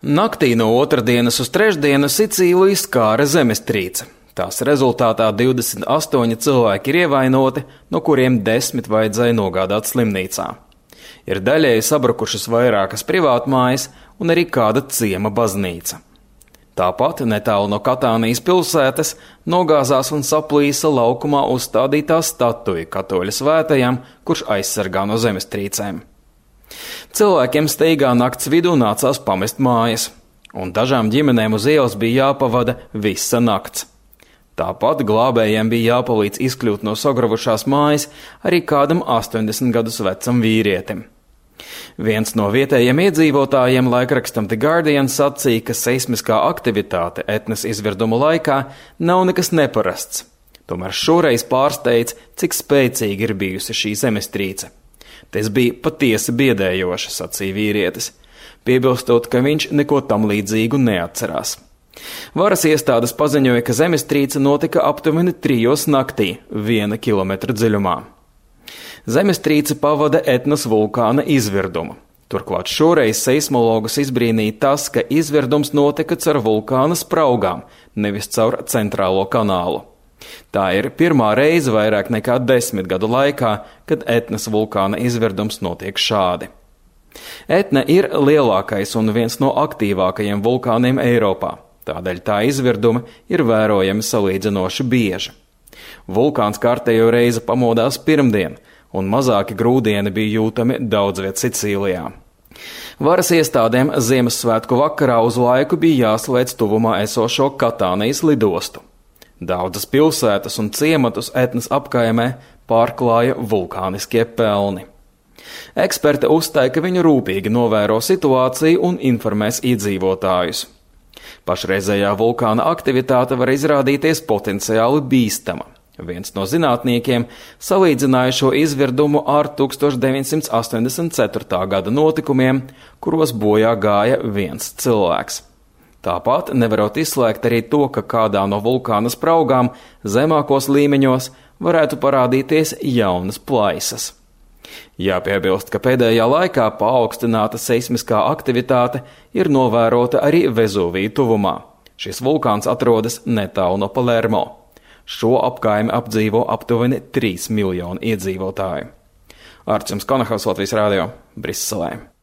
Naktī no otrdienas uz trešdienu Sicīliju skāra zemestrīce. Tās rezultātā 28 cilvēki ir ievainoti, no kuriem 10 vajadzēja nogādāt slimnīcā. Ir daļēji sabrukušas vairākas privātmājas un arī kāda ciema baznīca. Tāpat netālu no Katānijas pilsētas nogāzās un saplīsa laukumā uzstādītā statuja katoļu svētajam, kurš aizsargā no zemestrīcēm. Cilvēkiem steigā nakts vidū nācās pamest mājas, un dažām ģimenēm uz ielas bija jāpavada visa nakts. Tāpat glābējiem bija jāpalīdz izkļūt no sagravušās mājas arī kādam 80 gadus vecam vīrietim. Viens no vietējiem iedzīvotājiem laikrakstam The Guardian sacīja, ka seismiskā aktivitāte Etnas izvirduma laikā nav nekas neparasts. Tomēr šoreiz pārsteidz, cik spēcīga ir bijusi šī zemestrīce. Tas bija patiesi biedējoši, sacīja vīrietis, piebilstot, ka viņš neko tam līdzīgu neatcerās. Varas iestādes paziņoja, ka zemestrīce notika aptuveni 3 naktī, 1 kilometra dziļumā. Zemestrīce pavada Etnas vulkāna izvirdumu. Turklāt šoreiz seismologus izbrīnīja tas, ka izvirdums notika caur vulkāna spraugām, nevis caur centrālo kanālu. Tā ir pirmā reize vairāk nekā 10 gadu laikā, kad Etnas vulkāna izvirdums notiek šādi. Etna ir lielākais un viens no aktīvākajiem vulkāniem Eiropā, tādēļ tā izvirdumi ir vērojami salīdzinoši bieži. Vulkāns kārtējo reizi pamodās pirmdien, un mazāki grūdieni bija jūtami daudz viet Sicīlijā. Varas iestādēm Ziemassvētku vakarā uz laiku bija jāslēdz tuvumā esošo Katānijas lidostu. Daudzas pilsētas un ciematus Etnas apkaimē pārklāja vulkāniskie pelni. Eksperti uzstāja, ka viņi rūpīgi novēro situāciju un informēs iedzīvotājus. Pašreizējā vulkāna aktivitāte var izrādīties potenciāli bīstama. Viens no zinātniekiem salīdzināja šo izvirdumu ar 1984. gada notikumiem, kuros bojā gāja viens cilvēks. Tāpat nevarot izslēgt arī to, ka kādā no vulkāna spraugām zemākos līmeņos varētu parādīties jaunas plaisas. Jāpiebilst, ka pēdējā laikā paaugstināta seismiskā aktivitāte ir novērota arī Vezuvija tuvumā. Šis vulkāns atrodas netālu no Palermo. Šo apkaimi apdzīvo aptuveni 3 miljoni iedzīvotāju. Arčuns Konahaus, Latvijas Rādio, Briselē.